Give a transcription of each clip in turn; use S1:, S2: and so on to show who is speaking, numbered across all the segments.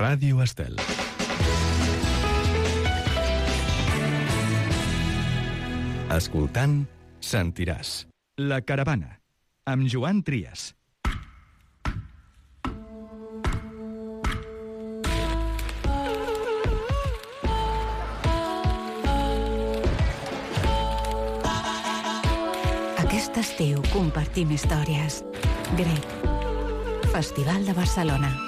S1: Ràdio Estel. Escoltant, sentiràs. La Caravana, amb Joan Trias.
S2: Aquest estiu compartim històries. Grec. Festival de Barcelona.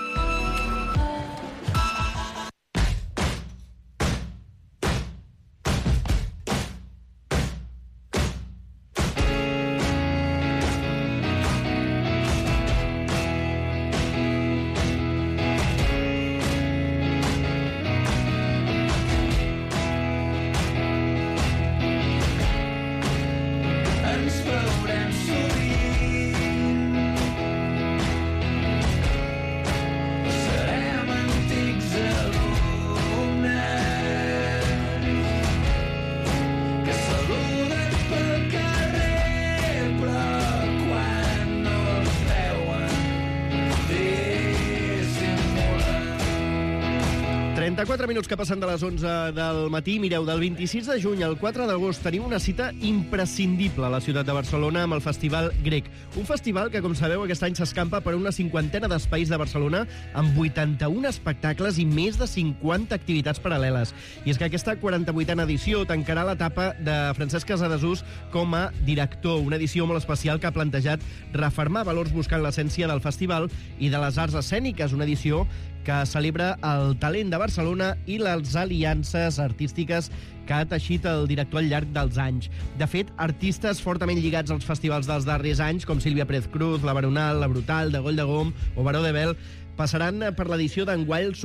S3: Minuts que passen de les 11 del matí. Mireu, del 26 de juny al 4 d'agost tenim una cita imprescindible a la ciutat de Barcelona amb el Festival Grec. Un festival que, com sabeu, aquest any s'escampa per una 50ena d'espais de Barcelona amb 81 espectacles i més de 50 activitats paral·leles. I és que aquesta 48a edició tancarà l'etapa de Francesc Casadesús com a director, una edició molt especial que ha plantejat refermar valors buscant l'essència del festival i de les arts escèniques, una edició que celebra el talent de Barcelona i les aliances artístiques que ha teixit el director al llarg dels anys. De fet, artistes fortament lligats als festivals dels darrers anys, com Sílvia Pérez Cruz, la Baronal, la Brutal, de Goll de Gom o Baró de Bel, passaran per l'edició d'enguany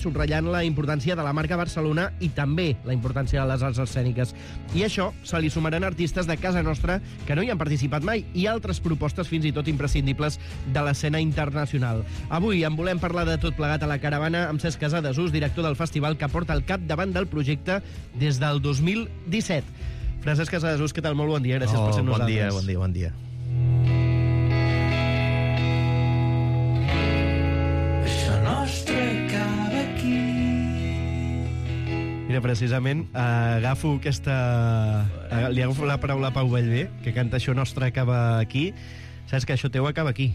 S3: subratllant la importància de la marca Barcelona i també la importància de les arts escèniques. I això se li sumaran artistes de casa nostra que no hi han participat mai i altres propostes fins i tot imprescindibles de l'escena internacional. Avui en volem parlar de tot plegat a la caravana amb Cesc Casadesús, director del festival, que porta al capdavant del projecte des del 2017. Francesc Casadesús, què tal? Molt bon dia, gràcies per ser amb nosaltres.
S4: Bon dia.
S3: Mira, precisament, li agafo la paraula a Pau Vallvé, que canta Això nostre acaba aquí. Saps que això teu acaba aquí.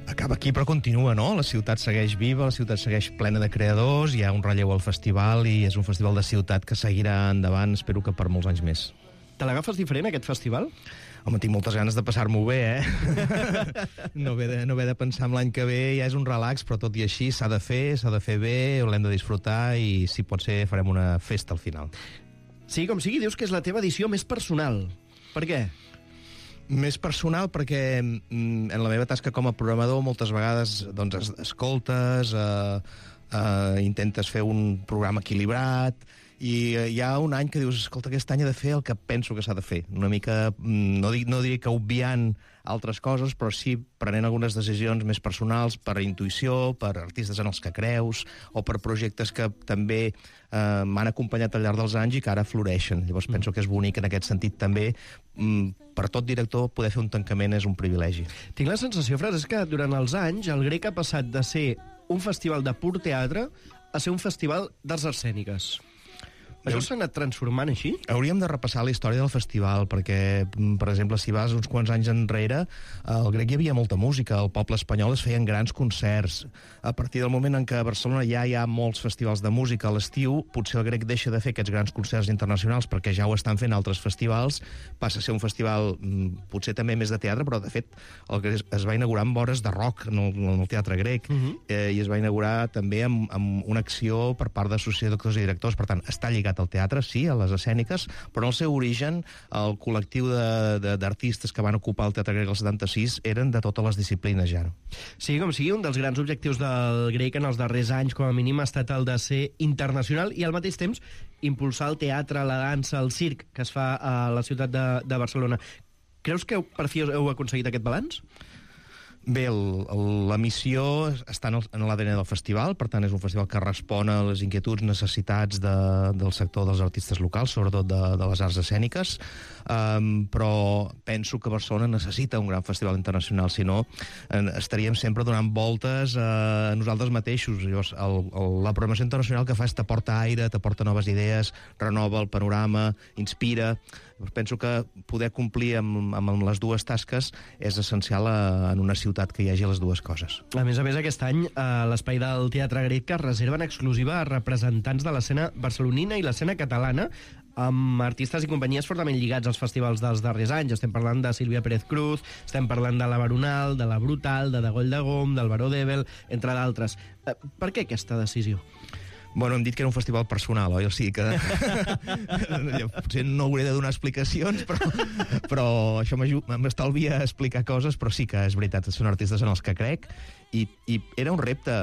S4: Acaba aquí, però continua, no? La ciutat segueix viva, la ciutat segueix plena de creadors, hi ha un relleu al festival i és un festival de ciutat que seguirà endavant, espero que per molts anys més.
S3: Te l'agafes diferent, aquest festival?
S4: Home, tinc moltes ganes de passar-m'ho bé, No haver de pensar en l'any que ve, ja és un relax, però tot i així s'ha de fer bé, l'hem de disfrutar i, si pot ser, farem una festa al final.
S3: Sí, com sigui, dius que és la teva edició més personal. Per què?
S4: Més personal perquè en la meva tasca com a programador moltes vegades doncs, escoltes, intentes fer un programa equilibrat i hi ha un any que dius, escolta, aquest any he de fer el que penso que s'ha de fer. Una mica, no diré que obviant altres coses, però sí prenent algunes decisions més personals per intuïció, per artistes en els que creus, o per projectes que també m'han acompanyat al llarg dels anys i que ara floreixen. Llavors penso que és bonic en aquest sentit també. Per tot director poder fer un tancament és un privilegi.
S3: Tinc la sensació, Francesc, que durant els anys el Grec ha passat de ser un festival de pur teatre a ser un festival d'arts escèniques. Això s'ha anat transformant així?
S4: Hauríem de repassar la història del festival, perquè, per exemple, si vas uns quants anys enrere, al Grec hi havia molta música, al poble espanyol es feien grans concerts. A partir del moment en què a Barcelona ja hi ha molts festivals de música a l'estiu, potser el Grec deixa de fer aquests grans concerts internacionals perquè ja ho estan fent altres festivals, passa a ser un festival potser també més de teatre, però de fet el Grec es va inaugurar amb hores de rock en el Teatre Grec, i es va inaugurar també amb una acció per part d'associació d'actors i directors, per tant, està lligat al teatre, sí, a les escèniques, però en el seu origen el col·lectiu d'artistes que van ocupar el Teatre Grec el 76 eren de totes les disciplines ja.
S3: Sí, com sigui, un dels grans objectius del Grec en els darrers anys, com a mínim, ha estat el de ser internacional i al mateix temps impulsar el teatre, la dansa, el circ que es fa a la ciutat de Barcelona. Creus que per fi heu aconseguit aquest balanç?
S4: Bé, la missió està en l'ADN del festival, per tant és un festival que respon a les inquietuds, necessitats del sector dels artistes locals, sobretot de les arts escèniques, però penso que Barcelona necessita un gran festival internacional, si no estaríem sempre donant voltes a nosaltres mateixos. Llavors, la programació internacional que fa és t'aporta aire, t'aporta noves idees, renova el panorama, inspira. Penso que poder complir amb les dues tasques és essencial en una ciutat que hi hagi les dues coses.
S3: A més, aquest any, l'espai del Teatre Grec es reserva en exclusiva a representants de l'escena barcelonina i l'escena catalana, amb artistes i companyies fortament lligats als festivals dels darrers anys. Estem parlant de Sílvia Pérez Cruz, estem parlant de la Baronal, de la Brutal, de Goll de Gom, del Baró d'Ebel, entre d'altres. Per què aquesta decisió?
S4: Bueno, hem dit que era un festival personal, oi? O sigui que potser no hauré de donar explicacions, però això m'estalvia explicar coses, però sí que és veritat, són artistes en els que crec, i era un repte.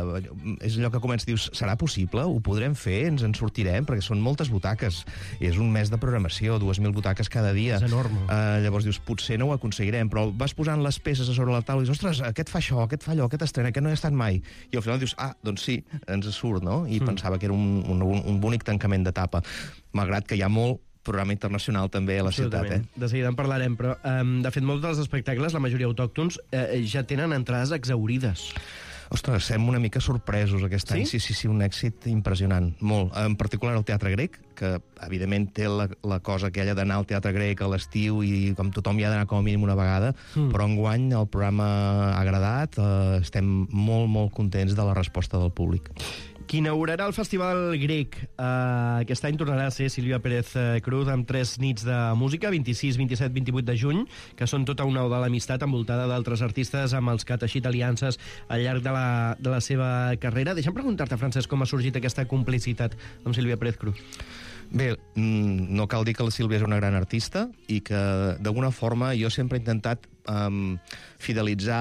S4: És allò que comença, dius, serà possible? Ho podrem fer? Ens en sortirem? Perquè són moltes butaques. I és un mes de programació, 2.000 butaques cada dia.
S3: És enorme.
S4: Llavors dius, potser no ho aconseguirem, però vas posant les peces a sobre la taula i dius, ostres, aquest fa això, aquest fa allò, aquest estrena, aquest no hi ha estat mai. I al final dius, doncs sí, ens surt, no? I pensava que era un bonic tancament d'etapa, malgrat que hi ha molt programa internacional també a la ciutat.
S3: De seguida en parlarem, però de fet molts dels espectacles, la majoria autòctons, ja tenen entrades exhaurides.
S4: Ostres, estem una mica sorpresos aquest any. Sí, un èxit impressionant, molt. En particular el Teatre Grec, que evidentment té la cosa aquella d'anar al Teatre Grec a l'estiu i com tothom hi ha d'anar com a mínim una vegada, però enguany el programa ha agradat, estem molt, molt contents de la resposta del públic.
S3: Qui inaugurarà el Festival Grec aquest any tornarà a ser Sílvia Pérez Cruz amb 3 nits de música, 26, 27, 28 de juny, que són tota una oda a l'amistat envoltada d'altres artistes amb els que ha teixit aliances al llarg de la seva carrera. Deixa'm preguntar-te, Francesc, com ha sorgit aquesta complicitat amb Sílvia Pérez Cruz.
S4: Bé, no cal dir que la Sílvia és una gran artista i que, d'alguna forma, jo sempre he intentat fidelitzar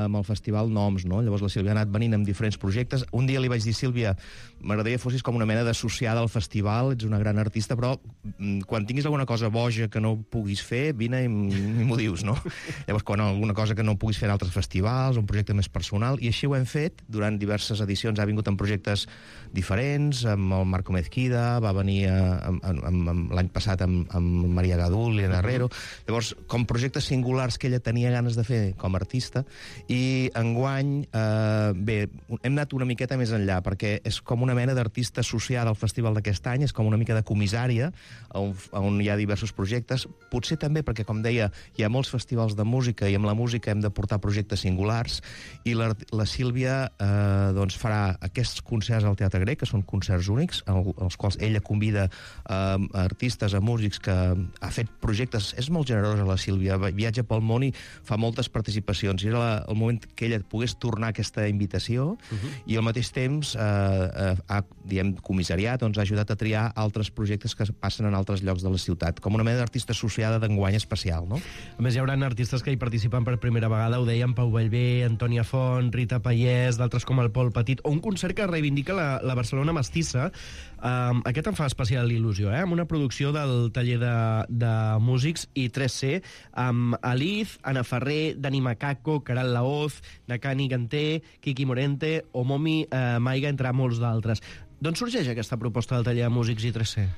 S4: amb el festival noms, no? Llavors la Sílvia ha anat venint amb diferents projectes. Un dia li vaig dir, Sílvia, m'agradaria fossis com una mena d'associada al festival, ets una gran artista, però quan tinguis alguna cosa boja que no puguis fer, vine i m'ho dius, no? Llavors, quan alguna cosa que no puguis fer en altres festivals, un projecte més personal, i així ho hem fet. Durant diverses edicions ha vingut en projectes diferents, amb el Marco Mezquida, va venir l'any passat amb Maria Gadul i Herrero. Llavors, com projectes singulars que ella tenia ganes de fer com a artista, i enguany, bé, hem anat una miqueta més enllà, perquè és com una mena d'artista associada al festival d'aquest any, és com una mica de comissària, on hi ha diversos projectes, potser també perquè, com deia, hi ha molts festivals de música, i amb la música hem de portar projectes singulars, i la Sílvia doncs farà aquests concerts al Teatre Grec, que són concerts únics, als quals ella convida artistes, a músics que ha fet projectes. És molt generosa la Sílvia, viatja pel món i fa moltes participacions, i era el moment que ella pogués tornar aquesta invitació, i al mateix temps ha, comissariat, doncs ha ajudat a triar altres projectes que passen en altres llocs de la ciutat, com una mena d'artista associada d'enguany especial, no?
S3: A més, hi haurà artistes que hi participen per primera vegada, ho deien Pau Vallvé, Antònia Font, Rita Pallès, d'altres com el Pol Petit, o un concert que reivindica la Barcelona mestissa. Aquest em fa especial il·lusió, amb una producció del taller de músics i 3C, amb Aliz, Ana Ferrer, Dani Macaco, Caral Laoz, Nakani Ganté, Kiki Morente o Momi Maiga, entre molts d'altres. D'on sorgeix aquesta proposta del taller de músics i 3C?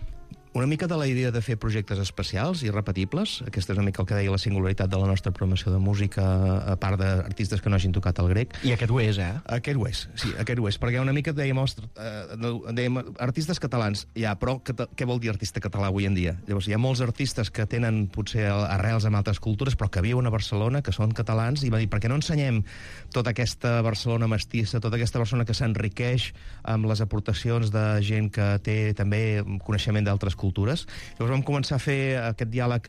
S4: Una mica de la idea de fer projectes especials i repetibles. Aquesta és una mica el que deia la singularitat de la nostra programació de música, a part d'artistes que no hagin tocat el grec.
S3: I aquest ho és,
S4: Aquest ho és, sí, aquest ho és. Perquè una mica dèiem artistes catalans, però què vol dir artista català avui en dia? Llavors, hi ha molts artistes que tenen potser arrels en altres cultures, però que viuen a Barcelona, que són catalans, i va dir, per què no ensenyem tota aquesta Barcelona mestissa, tota aquesta Barcelona que s'enriqueix amb les aportacions de gent que té també coneixement d'altres cultures. Llavors vam començar a fer aquest diàleg,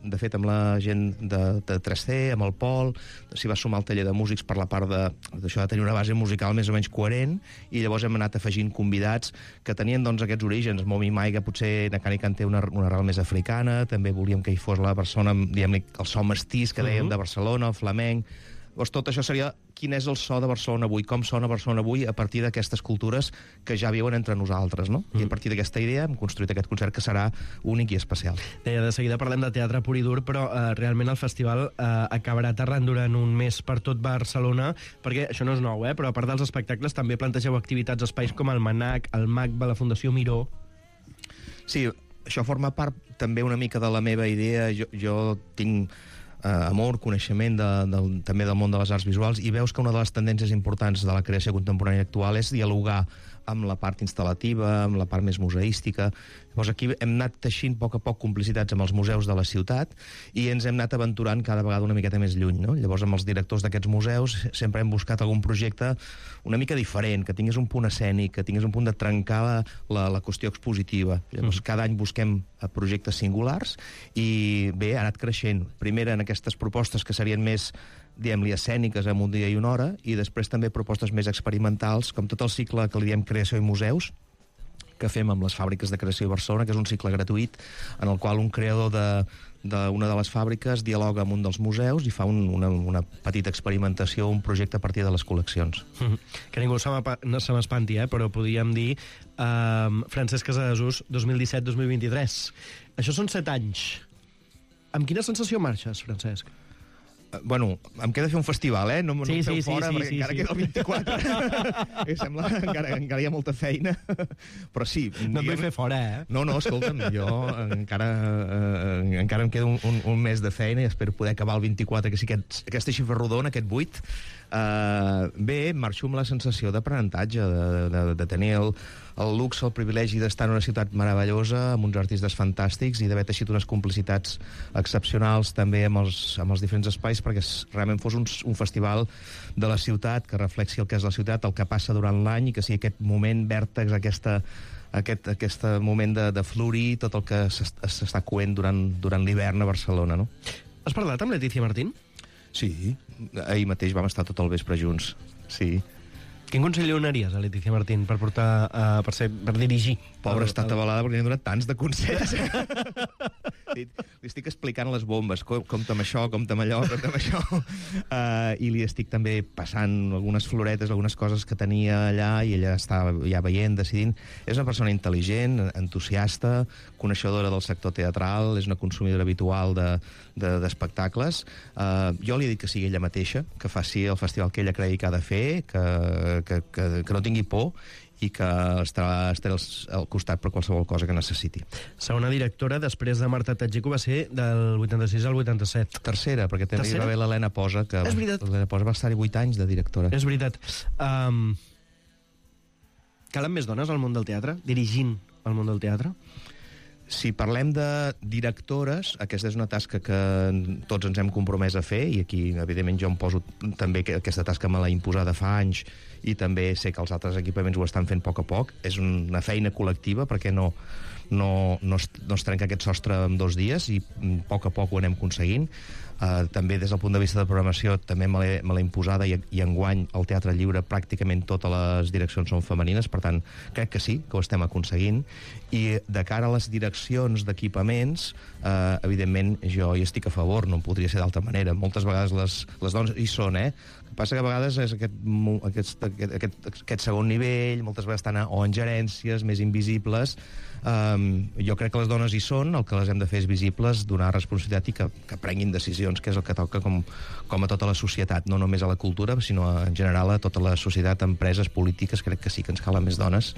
S4: de fet, amb la gent de 3C, amb el Pol, s'hi va sumar el taller de músics per la part d'això de tenir una base musical més o menys coherent, i llavors hem anat afegint convidats que tenien doncs aquests orígens. Momi Maiga, potser Nakani Kanté, una arrel més africana, també volíem que hi fos la persona, diguem-ne, el so mestís que dèiem de Barcelona, el flamenc, Llavors, tot això seria quin és el so de Barcelona avui, com sona Barcelona avui a partir d'aquestes cultures que ja viuen entre nosaltres, no? I a partir d'aquesta idea hem construït aquest concert que serà únic i especial.
S3: Deia, de seguida parlem de teatre pur i dur, però realment el festival acabarà aterrant durant un mes per tot Barcelona, perquè això no és nou, però a part dels espectacles també plantegeu activitats a espais com el Manac, el MACBA, la Fundació Miró.
S4: Sí, això forma part també una mica de la meva idea. Jo tinc amor, coneixement també del món de les arts visuals, i veus que una de les tendències importants de la creació contemporània actual és dialogar amb la part instal·lativa, amb la part més museística. Llavors aquí hem anat teixint a poc complicitats amb els museus de la ciutat i ens hem anat aventurant cada vegada una miqueta més lluny, no? Llavors amb els directors d'aquests museus sempre hem buscat algun projecte una mica diferent, que tingués un punt escènic, que tingués un punt de trencar la qüestió expositiva. Llavors cada any busquem projectes singulars i bé, ha anat creixent. Primer en aquestes propostes que serien més, diguem-li, escèniques en un dia i una hora, i després també propostes més experimentals, com tot el cicle que li diem Creació i Museus, que fem amb les fàbriques de creació de Barcelona, que és un cicle gratuït en el qual un creador d'una de les fàbriques dialoga amb un dels museus i fa una petita experimentació, un projecte a partir de les col·leccions.
S3: Que ningú no se m'espanti, però podríem dir Francesc Casadesús 2017-2023. Això són 7 anys. Amb quina sensació marxes, Francesc?
S4: Bueno, em queda fer un festival, no em feu fora, perquè encara queda el 24. Sembla que encara hi ha molta feina. Però sí...
S3: No et vull fer fora,
S4: No, escolta'm, jo encara em queda un mes de feina i espero poder acabar el 24, que sí que aquesta xifra rodona, aquest 8. Bé, marxo amb la sensació d'aprenentatge, de tenir el luxe, el privilegi d'estar en una ciutat meravellosa, amb uns artistes fantàstics i d'haver teixit unes complicitats excepcionals també amb els diferents espais, perquè realment fos un festival de la ciutat, que reflexi el que és la ciutat, el que passa durant l'any, i que sigui aquest moment vèrtex, aquest moment de florir tot el que s'està coent durant l'hivern a Barcelona, no?
S3: Has parlat amb Letícia Martín?
S4: Sí, ahir mateix vam estar tot el vespre junts, sí.
S3: Quin consell li donaries a Letícia Martín per dirigir?
S4: Pobra, està atabalada perquè li han donat tants de consells. Li estic explicant les bombes, compta amb això, compta amb allò, compta amb això. I li estic també passant algunes floretes, algunes coses que tenia allà, i ella està ja veient, decidint. És una persona intel·ligent, entusiasta, coneixedora del sector teatral, és una consumidora habitual d'espectacles. Jo li he dit que sigui ella mateixa, que faci el festival que ella cregui que ha de fer, que no tingui por i que estarà al costat per qualsevol cosa que necessiti.
S3: Segona directora, després de Marta Tatjico, va ser del 86 al 87.
S4: Tercera, perquè també hi va haver l'Helena Posa, que l'Helena Posa va estar-hi 8 anys de directora.
S3: És veritat. Calen més dones al món del teatre? Dirigint el món del teatre?
S4: Si parlem de directores, aquesta és una tasca que tots ens hem compromès a fer, i aquí, evidentment, jo em poso també que aquesta tasca me l'ha imposada fa anys, i també sé que els altres equipaments ho estan fent a poc. És una feina col·lectiva, perquè no es trenca aquest sostre en 2 dies, i a poc ho anem aconseguint. També des del punt de vista de programació també me l'he imposada, i enguany al Teatre Lliure pràcticament totes les direccions són femenines, per tant crec que sí, que ho estem aconseguint. I de cara a les direccions d'equipaments, evidentment jo hi estic a favor, no podria ser d'altra manera. Moltes vegades les dones hi són, El que passa que a vegades és aquest segon nivell, moltes vegades estan o en gerències més invisibles. Jo crec que les dones hi són, el que les hem de fer és visibles, donar responsabilitat i que prenguin decisions, que és el que toca com a tota la societat, no només a la cultura, sinó en general a tota la societat, empreses, polítiques. Crec que sí que ens calen més dones.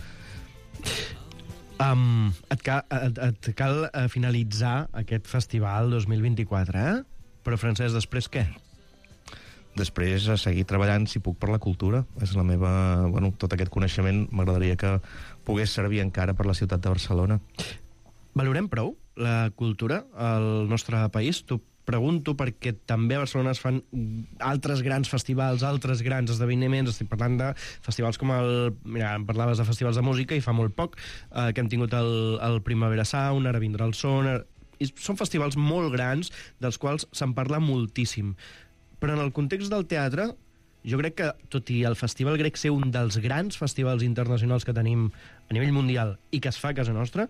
S3: Et cal finalitzar aquest festival 2024, Però, Francesc, després què?
S4: Després, a seguir treballant, si puc, per la cultura. És la meva... tot aquest coneixement m'agradaria que pogués servir encara per la ciutat de Barcelona.
S3: Valorem prou la cultura al nostre país? T'ho pregunto perquè també a Barcelona es fan altres grans festivals, altres grans esdeveniments. Estic parlant de festivals com Mira, em parlaves de festivals de música, i fa molt poc que hem tingut el Primavera Sound, ara vindrà el Son... Són festivals molt grans, dels quals se'n parla moltíssim. Però en el context del teatre, jo crec que, tot i el Festival Grec ser un dels grans festivals internacionals que tenim a nivell mundial i que es fa a casa nostra,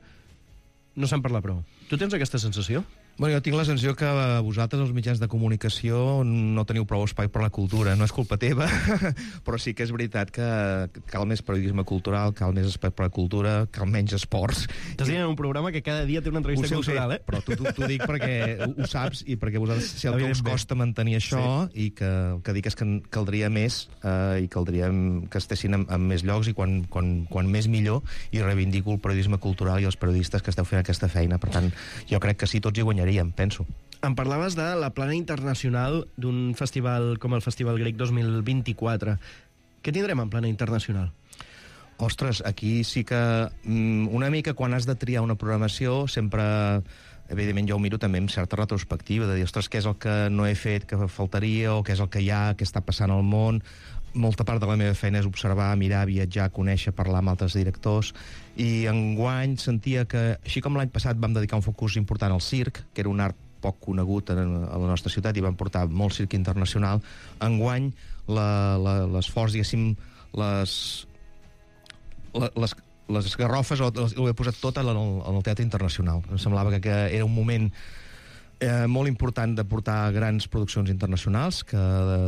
S3: no se'n parla prou. Tu tens aquesta sensació?
S4: Bueno, jo tinc la sensació que vosaltres, els mitjans de comunicació, no teniu prou espai per la cultura. No és culpa teva, però sí que és veritat que cal més periodisme cultural, cal més espai per la cultura, cal menys esports.
S3: Estàs dient en un programa que cada dia té una entrevista cultural, eh?
S4: Però t'ho dic perquè ho saps i perquè vosaltres, si el que us costa mantenir això, i que el que dic és que caldria més i caldria que estessin en més llocs i quan més millor, i reivindico el periodisme cultural i els periodistes que esteu fent aquesta feina. Per tant, jo crec que sí, tots hi guanyaríem, penso.
S3: Em parlaves de la plana internacional d'un festival com el Festival Grec 2024. Què tindrem en plana internacional?
S4: Ostres, aquí sí que una mica quan has de triar una programació sempre, evidentment jo ho miro també amb certa retrospectiva, de dir, ostres, què és el que no he fet, que faltaria, o què és el que hi ha, què està passant al món. Molta part de la meva feina és observar, mirar, viatjar, conèixer, parlar amb altres directors, i enguany sentia que, així com l'any passat vam dedicar un focus important al circ, que era un art poc conegut a la nostra ciutat i vam portar molt circ internacional, enguany l'esforç, diguéssim, les garrofes ho he posat tot en el teatre internacional. Em semblava que era un moment molt important de portar grans produccions internacionals, que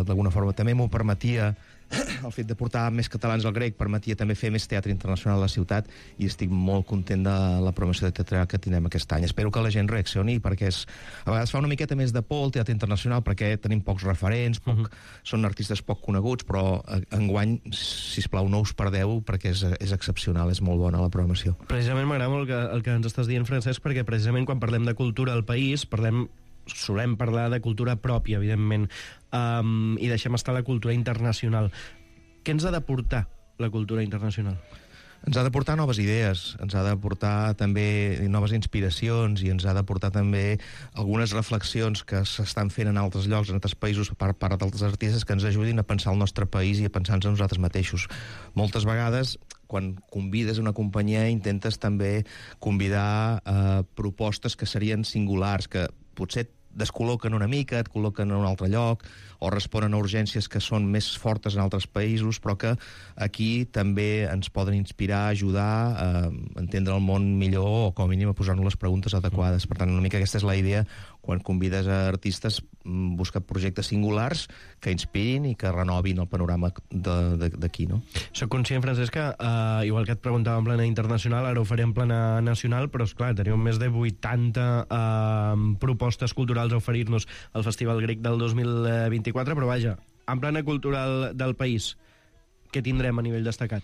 S4: d'alguna forma també m'ho permetia. El fet de portar més catalans al Grec permetia també fer més teatre internacional a la ciutat, i estic molt content de la programació de teatre que tindrem aquest any. Espero que la gent reaccioni, perquè a vegades fa una miqueta més de por el teatre internacional, perquè tenim pocs referents, són artistes poc coneguts, però enguany, sisplau, no us perdeu, perquè és excepcional, és molt bona la programació.
S3: Precisament m'agrada molt el que ens estàs dient, Francesc, perquè precisament quan parlem de cultura al país, solem parlar de cultura pròpia, evidentment, i deixem estar la cultura internacional. Què ens ha d'aportar la cultura internacional?
S4: Ens ha d'aportar noves idees, ens ha d'aportar també noves inspiracions, i ens ha d'aportar també algunes reflexions que s'estan fent en altres llocs, en altres països, per part d'altres artistes, que ens ajudin a pensar el nostre país i a pensar-nos a nosaltres mateixos. Moltes vegades, quan convides una companyia, intentes també convidar propostes que serien singulars, que potser descol·loquen una mica, et col·loquen en un altre lloc, o responen a urgències que són més fortes en altres països, però que aquí també ens poden inspirar, ajudar a entendre el món millor, o com a mínim a posar-nos les preguntes adequades. Per tant, una mica aquesta és la idea. Quan convides a artistes, busca projectes singulars que inspirin i que renovin el panorama d'aquí, no?
S3: Soc conscient, Francesc, que igual que et preguntava en plana internacional, ara ho faré en plana nacional, però esclar, teniu més de 80 propostes culturals a oferir-nos al Festival Grec del 2024, però vaja, en plana cultural del país, què tindrem a nivell destacat?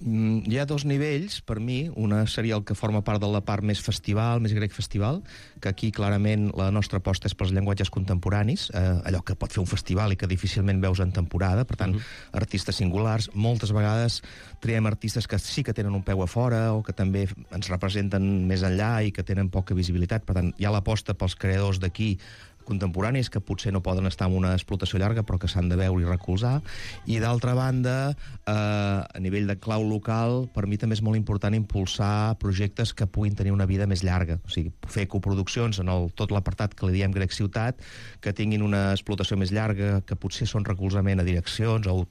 S4: Hi ha dos nivells, per mi. Una seria el que forma part de la part més festival, més grec festival, que aquí clarament la nostra aposta és pels llenguatges contemporanis, allò que pot fer un festival i que difícilment veus en temporada, per tant, artistes singulars. Moltes vegades triem artistes que sí que tenen un peu a fora, o que també ens representen més enllà i que tenen poca visibilitat. Per tant, hi ha l'aposta pels creadors d'aquí, contemporanis, que potser no poden estar en una explotació llarga, però que s'han de veure i recolzar. I d'altra banda, a nivell de clau local, per mi també és molt important impulsar projectes que puguin tenir una vida més llarga. O sigui, fer coproduccions en tot l'apartat que li diem Grec Ciutat, que tinguin una explotació més llarga, que potser són recolzament a direccions o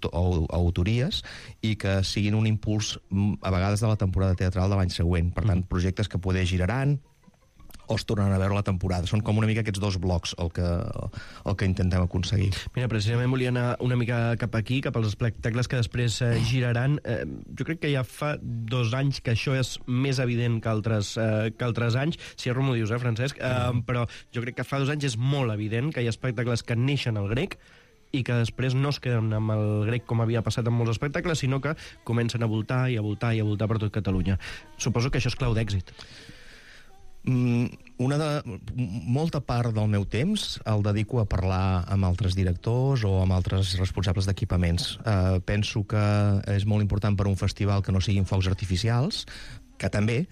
S4: autories, i que siguin un impuls a vegades de la temporada teatral de l'any següent. Per tant, projectes que poder giraran o es tornen a veure la temporada. Són com una mica aquests dos blocs el que intentem aconseguir.
S3: Mira, precisament volia anar una mica cap aquí, cap als espectacles que després giraran. Jo crec que ja fa 2 anys que això és més evident que altres anys. Si erro m'ho dius, Francesc? Però jo crec que fa 2 anys és molt evident que hi ha espectacles que neixen al Grec i que després no es queden amb el Grec com havia passat en molts espectacles, sinó que comencen a voltar i a voltar i a voltar per tot Catalunya. Suposo que això és clau d'èxit.
S4: Molta part del meu temps el dedico a parlar amb altres directors o amb altres responsables d'equipaments. Penso que és molt important per un festival que no siguin focs artificials, que també,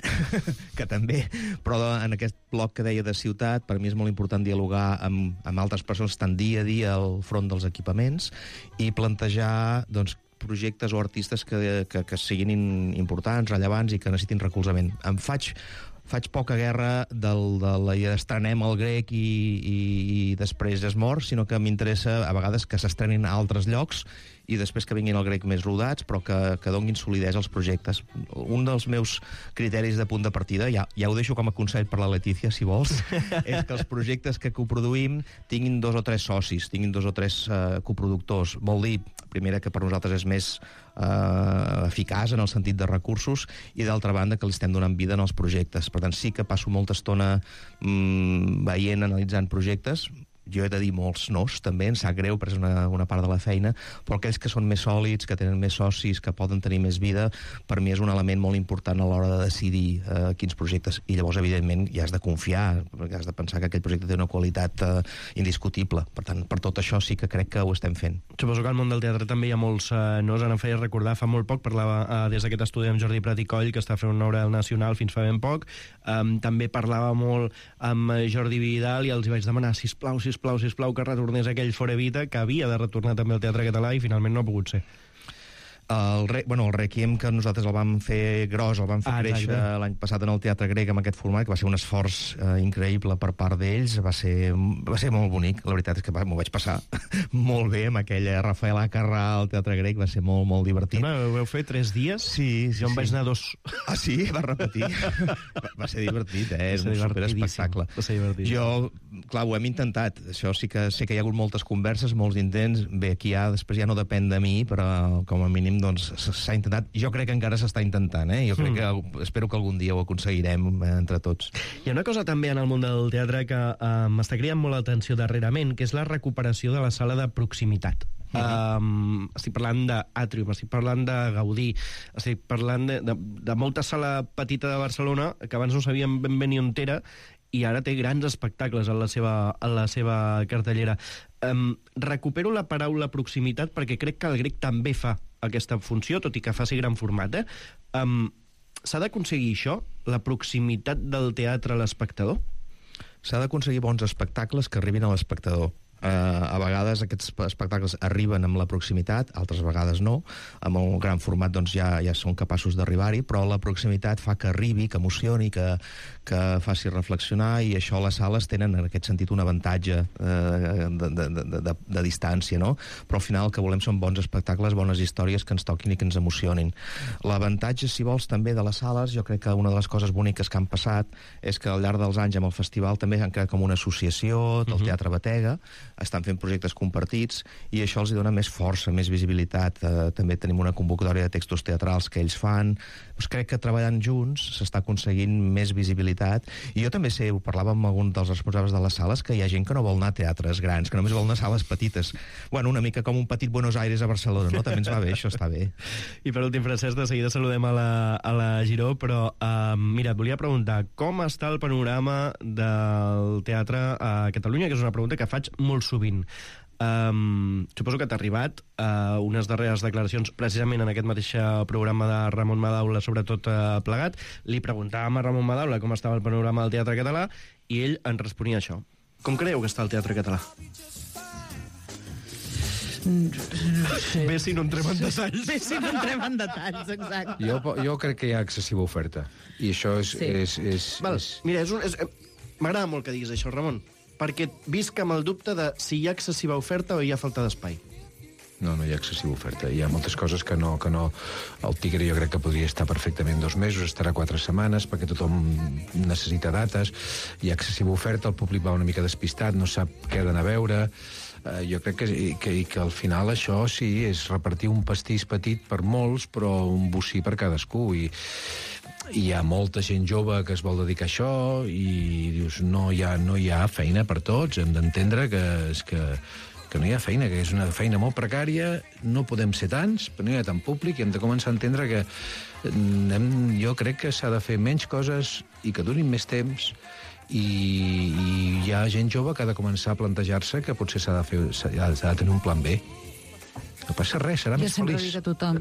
S4: però en aquest bloc que deia de ciutat, per mi és molt important dialogar amb altres persones que estan dia a dia al front dels equipaments i plantejar, doncs, projectes o artistes que siguin importants, rellevants i que necessitin recolzament. Faig poca guerra de la idea d'estrenem el Grec i després es mor, sinó que m'interessa a vegades que s'estrenin a altres llocs i després que vinguin al Grec més rodats, però que donguin solidesa als projectes. Un dels meus criteris de punt de partida, ja ho deixo com a consell per la Letícia, si vols, és que els projectes que coproduïm tinguin 2 o 3 socis, tinguin 2 o 3 coproductors. Vol dir, primera, que per nosaltres és més eficaç en el sentit de recursos, i d'altra banda que li estem donant vida en els projectes. Per tant, sí que passo molta estona veient, analitzant projectes. Jo he de dir molts nos, també, em sap greu, perquè és una part de la feina, però aquells que són més sòlids, que tenen més socis, que poden tenir més vida, per mi és un element molt important a l'hora de decidir quins projectes. I llavors, evidentment, ja has de confiar, perquè has de pensar que aquell projecte té una qualitat indiscutible. Per tant, per tot això sí que crec que ho estem fent.
S3: Suposo que al món del teatre també hi ha molts nos. Ara em feia recordar, fa molt poc, parlava des d'aquest estudi amb Jordi Prat i Coll, que està fent una obra al Nacional fins fa ben poc. També parlava molt amb Jordi Vidal i els hi vaig demanar, sisplau, que retornés aquell Fora Evita, que havia de retornar també al teatre català i finalment no ha pogut ser.
S4: El Requiem, que nosaltres el vam fer gros, el vam fer créixer l'any passat en el Teatre Grec amb aquest format, que va ser un esforç increïble per part d'ells, va ser molt bonic. La veritat és que m'ho vaig passar molt bé amb aquella Rafael Acarrà al Teatre Grec, va ser molt, molt divertit.
S3: Ho vau fer 3 dies?
S4: Sí.
S3: Jo em vaig anar 2.
S4: Ah, sí? Va repetir? Va ser divertit, és un superespectacle. Jo, clar, ho hem intentat. Això sí que sé que hi ha hagut moltes converses, molts intents. Bé, aquí després ja no depèn de mi, però com a mínim doncs s'ha intentat. Jo crec que encara s'està intentant, Jo crec que espero que algun dia ho aconseguirem entre tots.
S3: Hi ha una cosa també en el món del teatre que m'està cridant molt l'atenció darrerament, que és la recuperació de la sala de proximitat. Estic parlant d'Atrium, estic parlant de Gaudí, estic parlant de molta sala petita de Barcelona que abans no sabíem ben bé ni on era, i ara té grans espectacles en la seva cartellera. Recupero la paraula proximitat perquè crec que el Grec també fa aquesta funció, tot i que faci gran format. S'ha d'aconseguir això, la proximitat del teatre a l'espectador?
S4: S'ha d'aconseguir bons espectacles que arribin a l'espectador. A vegades aquests espectacles arriben amb la proximitat, altres vegades no. Amb un gran format doncs ja són capaços d'arribar-hi, però la proximitat fa que arribi, que emocioni, que faci reflexionar, i això les sales tenen en aquest sentit un avantatge de distància, no? Però al final el que volem són bons espectacles, bones històries que ens toquin i que ens emocionin. L'avantatge, si vols, també de les sales, jo crec que una de les coses boniques que han passat és que al llarg dels anys amb el festival també han creat com una associació del Teatre Batega, estan fent projectes compartits i això els dona més força, més visibilitat. També tenim una convocatòria de textos teatrals que ells fan. Doncs crec que treballant junts s'està aconseguint més visibilitat, i jo també ho parlava amb algun dels responsables de les sales, que hi ha gent que no vol anar a teatres grans, que només vol anar a sales petites. Bueno, una mica com un petit Buenos Aires a Barcelona, no? També ens va bé, això està bé.
S3: I per últim, Francesc, de seguida saludem a la Giró, però mira, et volia preguntar com està el panorama del teatre a Catalunya, que és una pregunta que faig molt sovint. Suposo que t'ha arribat unes darreres declaracions precisament en aquest mateix programa de Ramon Madaula, sobretot plegat. Li preguntàvem a Ramon Madaula com estava el panorama del teatre català i ell ens responia això. Com creieu que està el teatre català? Bé si no entrem en detalls.
S5: Bé si no entrem en detalls, exacte.
S6: Jo crec que hi ha excessiva oferta, i això és...
S3: Mira, m'agrada molt que diguis això, Ramon, perquè visc amb el dubte de si hi ha excessiva oferta o hi ha falta d'espai.
S6: No hi ha excessiva oferta. Hi ha moltes coses que no... El Tigre jo crec que podria estar perfectament 2 mesos, estarà 4 setmanes, perquè tothom necessita dates. Hi ha excessiva oferta, el públic va una mica despistat, no sap què ha d'anar a veure. Jo crec que al final això sí, és repartir un pastís petit per molts, però un bocí per cadascú. I hi ha molta gent jove que es vol dedicar a això i dius, no hi ha feina per tots. Hem d'entendre que no hi ha feina, que és una feina molt precària, no podem ser tants, però no hi ha tant públic, i hem de començar a entendre que jo crec que s'ha de fer menys coses i que durin més temps, i hi ha gent jove que ha de començar a plantejar-se que potser s'ha de tenir un plan B. No passa res, serà més feliç.
S5: Jo sempre dic a tothom.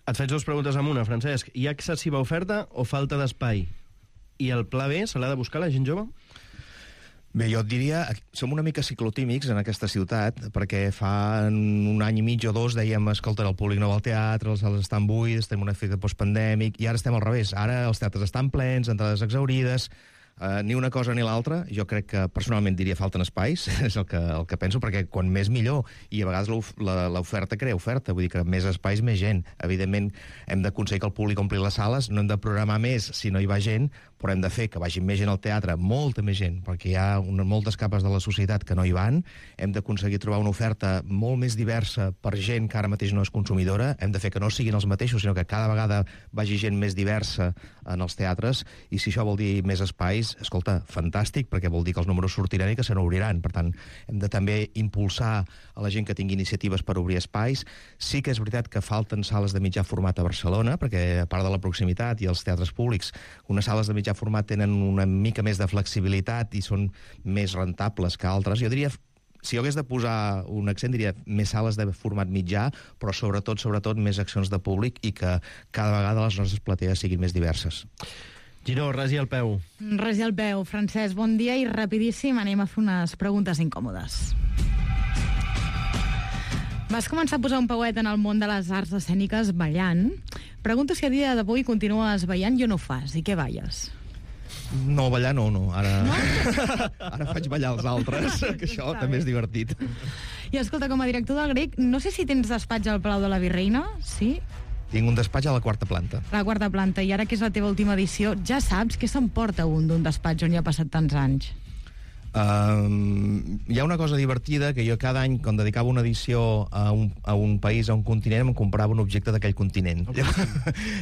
S3: Et faig 2 preguntes en una, Francesc. Hi ha excessiva oferta o falta d'espai? I el pla B se l'ha de buscar la gent jove?
S4: Bé, jo et diria, som una mica ciclotímics en aquesta ciutat, perquè fa un any i mig o 2 dèiem, escolta, el públic no va al teatre, les sales estan buides, tenim un efecte postpandèmic, i ara estem al revés. Ara els teatres estan plens, entrades exhaurides, Ni una cosa ni l'altra. Jo crec que personalment diria falten espais, és el que penso, perquè quan més millor, i a vegades l'oferta crea oferta, vull dir que més espais, més gent. Evidentment, hem d'aconseguir que el públic ompli les sales, no hem de programar més si no hi va gent, però hem de fer que vagi més gent al teatre, molta més gent, perquè hi ha moltes capes de la societat que no hi van. Hem d'aconseguir trobar una oferta molt més diversa per gent que ara mateix no és consumidora. Hem de fer que no siguin els mateixos, sinó que cada vegada vagi gent més diversa en els teatres, i si això vol dir més espais, escolta, fantàstic, perquè vol dir que els números sortiran i que se n'obriran. Per tant, hem de també impulsar a la gent que tingui iniciatives per obrir espais. Sí que és veritat que falten sales de mitjà format a Barcelona, perquè a part de la proximitat i els teatres públics, unes sales de mitjà format tenen una mica més de flexibilitat i són més rentables que altres. Jo diria, si jo hagués de posar un accent, diria més sales de format mitjà, però sobretot més accions de públic i que cada vegada les nostres platees siguin més diverses.
S3: Giró, resi al peu.
S5: Resi al peu. Francesc, bon dia i rapidíssim anem a fer unes preguntes incòmodes. Vas començar a posar un pauet en el món de les arts escèniques ballant. Pregunto si a dia d'avui continues ballant i o no ho fas, i què balles?
S4: No, ballar no. Ara faig ballar els altres, que això també és divertit.
S5: I escolta, com a director del Grec, no sé si tens despatx al Palau de la Virreina, sí?
S4: Tinc un despatx a la 4ª planta.
S5: A la 4ª planta, i ara que és la teva última edició, ja saps què s'emporta d'un despatx on hi ha passat tants anys?
S4: Hi ha una cosa divertida, que jo cada any, quan dedicava una edició a un país, a un continent, em comprava un objecte d'aquell continent.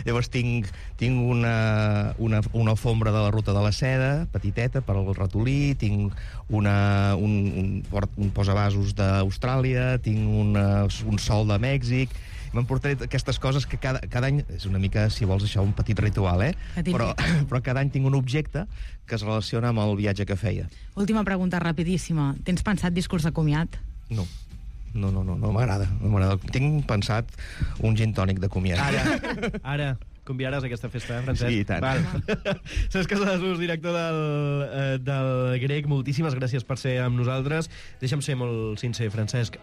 S4: Llavors tinc una alfombra de la Ruta de la Seda, petiteta, per al ratolí, tinc un posavasos d'Austràlia, tinc un sol de Mèxic. M'emportaré aquestes coses que cada any, és una mica, si vols, això, un petit ritual, però cada any tinc un objecte que es relaciona amb el viatge que feia.
S5: Última pregunta rapidíssima. Tens pensat discurs de comiat?
S4: No m'agrada. Tinc pensat un gin tònic de comiat.
S3: Ara convidaràs aquesta festa, Francesc?
S4: Sí, i tant.
S3: Cesc Casadesús, director del Grec, moltíssimes gràcies per ser amb nosaltres. Deixa'm ser molt sincer, Francesc,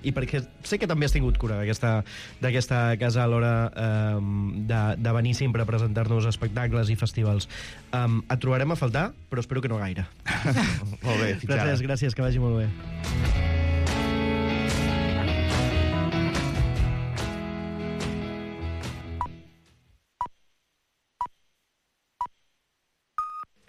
S3: i perquè sé que també has tingut cura d'aquesta casa a l'hora de venir sempre a presentar-nos espectacles i festivals. Et trobarem a faltar, però espero que no gaire.
S4: Molt bé, fins ara.
S3: Francesc, gràcies, que vagi molt bé.